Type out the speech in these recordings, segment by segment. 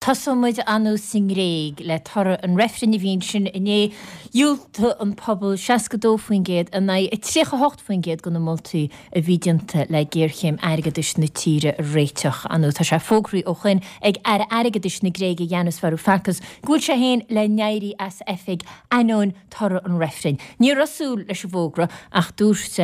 Tosóidh muid anuas sa nGréig le toradh an reifrinn a bhí ansin inné. Dhiúltaigh an pobal 62% in aghaidh 38% de na moltaí a bhí déanta le géarchéim airgeadais na tíre a réiteach. Anu, tá sé fógraithe ó shoin ag Aire Airgeadais na Gréige Yanis Varoufakis go bhfuil sé féin le n-éirí as oifig ainneoin toradh an reifrinn. Ní raibh súil leis an bhfógra ach dúirt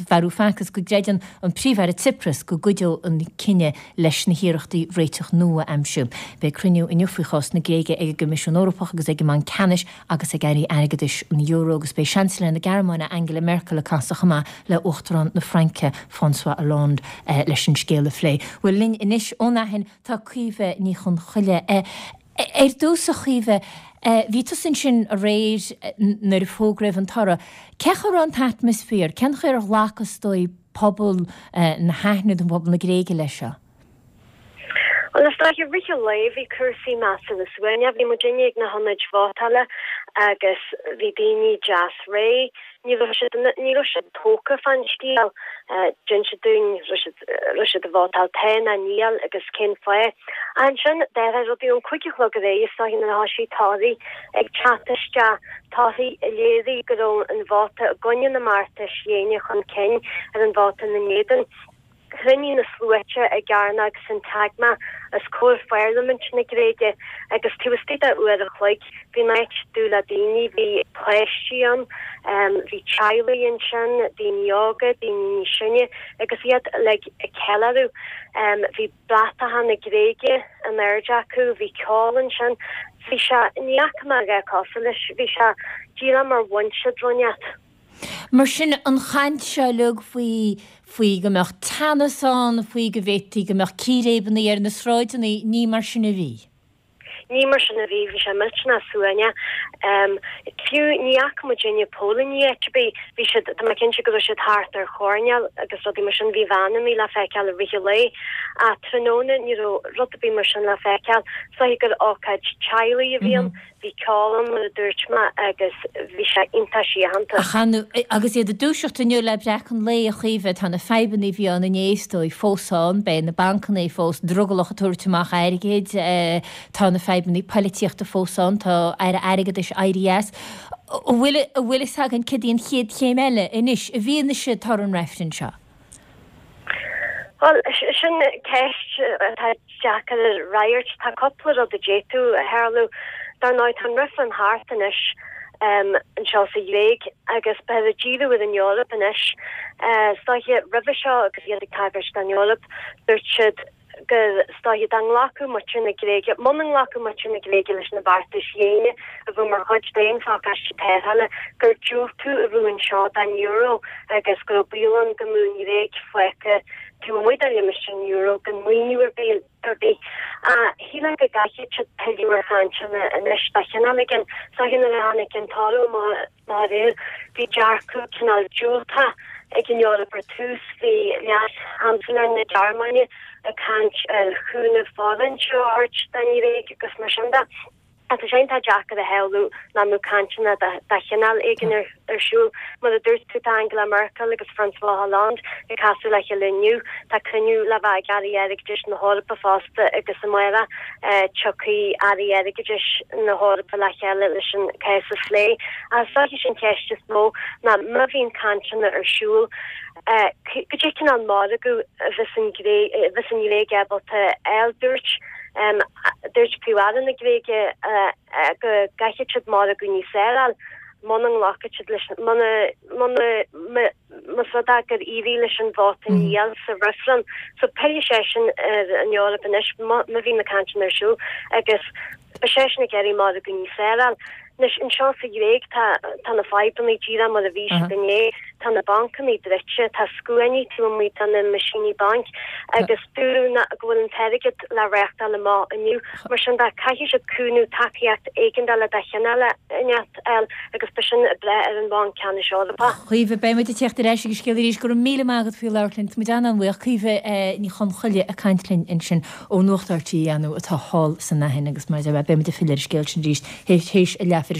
Varoufakis go gcreideann an Príomh-Aire Tsipras go gcuideodh an cinneadh leis na hiarrachtaí réiteach nua a aimsiú. Beidh cruinniú inniu faoi chás na Gréige ag an gCoimisiún Eorpach agus ag an mBanc Ceannais agus ag airí airgeadais an euro agus beidh Seansailéir na Gearmáine Angela Merkel ag casadh chomh maith le Uachtarán na Fraince François Hollande leis an scéal a phlé. Bhuel linn anois ón Aithin tá Caoimhe Ní Chonchoille. Ar dtús a Chaoimhe, bhí tusa ansin aréir nuair a fógraíodh an toradh. Cén chaoi a raibh an t-atmaisféar? Cén chaoi ar ghlac is dóigh pobal na hAithne nó pobal na Gréige leis seo? Bhuel, is dóiche, i rith an lae bhí cúrsaí measartha suaimhneach. Bhí muidinne ag na hionaid vótála agus bhí daoine deas réidh. Ní raibh siad, ní raibh siad tógtha fán scéal. D'inis siad dúinn raibh siad, raibh siad ag vótáil tá nó níl agus cén fáth. Ach ansin, d'athraigh rudaí ón 5 a chlog ar aghaidh is dóiche nuair a thoisigh torthaí ag teacht isteach. Torthaí a léirigh go raibh an vóta i gcoinne na mbeartais dhéine chun cinn ar an vóta ina n-éadan. Chruinnigh na sluaite i gcearnóg Syntagma os comhair Pharlaimint na Gréige agus taobh istigh de uair a chloig bhí an áit dubh le daoine. Bhí páistí ann, bhí teaghlaigh ansin, daoine óga, daoine níos sine agus iad uilig ag ceiliúradh. Bhí. Bratacha na Gréige in airde acu, bhí ceol ansin, bhí sé, ní fhaca mé a dhath cosúil leis, bhí sé díreach mar bhain siad rud inteacht. Mar sin, an chaint seo uilig faoi, faoi go mbeadh teannas ann, faoi go bhféadfaí go mbeadh círéibeanna ar na sráideanna, ní mar sin a bhí. Ní mar sin a bhí, bhí sé millteanach suaimhneach. Fiú ní fhaca muidinne póilíní áit ar bith, bhí siad, tá mé cinnte go raibh siad thart ar choirnéil agus rudaí mar sin, bhí veaineanna le feiceáil i rith an lae ach tráthnóna ní raibh rud ar bith mar sin le feiceáil. Is dóiche gur ócáid teaghlaigh a bhí ann, bhí ceol ann mar a dúirt mé agus bhí sé iontach síochánta. Ach agus iad ag dúiseacht inniu le breacadh an lae, a Chaoimhe, tá na fadhbanna a bhí ann inné is dóigh fós ann, beidh na bancanna fós drogallach ag tabhairt amach airgid, tá na fadhbanna poilitíochta fós ann, tá Aire Airgeadais éirithe as. An bhfuil an bhfuil fhios againn céard í an chéad chéim eile anois i bhfianaise toradh an reifrinn seo? Bhuel, sin ceist atá deacair a fhreagairt. Tá cúpla rud a d'fhéadfadh a tharlú. Dar ndóigh, tá an reifreann thart anois anseo sa Ghréig agus beifear ag díriú ar an Eoraip anois. Is dóiche, roimhe seo agus iad ag tagairt don Eoraip, dúirt siad gur, is dóiche, dá nglacfadh muintir na Gréige, muna nglacfadh muintir na Gréige leis na beartais dhéine a bheadh mar chuid d'aon phacáiste tarrthála, gur diúltú a bheadh anseo don euro agus go raibh baol ann go mbeadh an Ghréig fágtha taobh amuigh de limistéar an euro gan maoiniú ar bith ar bith. Ach shílfeá go gcaithfidh siad pilleadh ar chainteanna anois de chineál éigin. Is dóiche nuair a tháinig an toradh amach aréir bhí dearcadh cineál diúltach ag an Eoraip ar tús. Bhí Leas-Sheansailéir na Gearmáine ag caint ar chúnamh foroinnte a thabhairt don Ghréig agus mar sin de. Tá sé iontach deacair a shamhlú nach mbeadh cainteanna de chineál éigin ar siúl. Mar a dúirt tú, tá Angela Merkel agus François Hollande ag casadh le chéile inniu. Tá cruinniú le bheith ag Airí Airgeadais na hEorpa fosta agus amárach tiocfaidh Airí Airgeadais na hEorpa le chéile leis an cás a phlé. Ach is dóiche sin an cheist is mó ná má bhíonn cainteanna ar siúl, cad é cineál margadh a bheas an Ghréig ábalta a fháil? Dúirt. Dúirt Príomh-Aire na Gréige go gcaithfidh siad margadh níos fearr a fháil muna nglacfaidh siad leis, muna, muna, más rud é gur éirigh leis an vóta níl sa reifreann. So pillfidh seisean ar an Eoraip anois má bhíonn na cainteanna ar siúl agus beidh seisean ag iarraidh margadh níos fearr a fháil. Anois, anseo sa Ghréig, tá, tá na fadhbanna díreach mar a bhí siad inné. Tá na bancanna druidte, tá scuainí taobh amuigh de na meaisíní bainc agus dúradh ná, go bhfuil an t-airgead le reáchtáil amach inniu. Mar sin de, caithfidh siad cúnamh, tacaíocht éigeandála de chineál inteacht a fháil agus beidh sin ag brath ar an Bhanc Ceannais Eorpach. Caoimhe, beidh muid ag teacht ar ais ag an scéal arís. Go raibh míle maith agat faoi labhairt linn. Tá muid an-an-bhuíoch. Caoimhe Ní Chonchoille ag caint linn ansin. Ó Nuacht RTÉ, anu, atá thall san Aithin agus mar a deir mé, beidh muid ag filleadh ar an scéal sin arís théis a leathuair.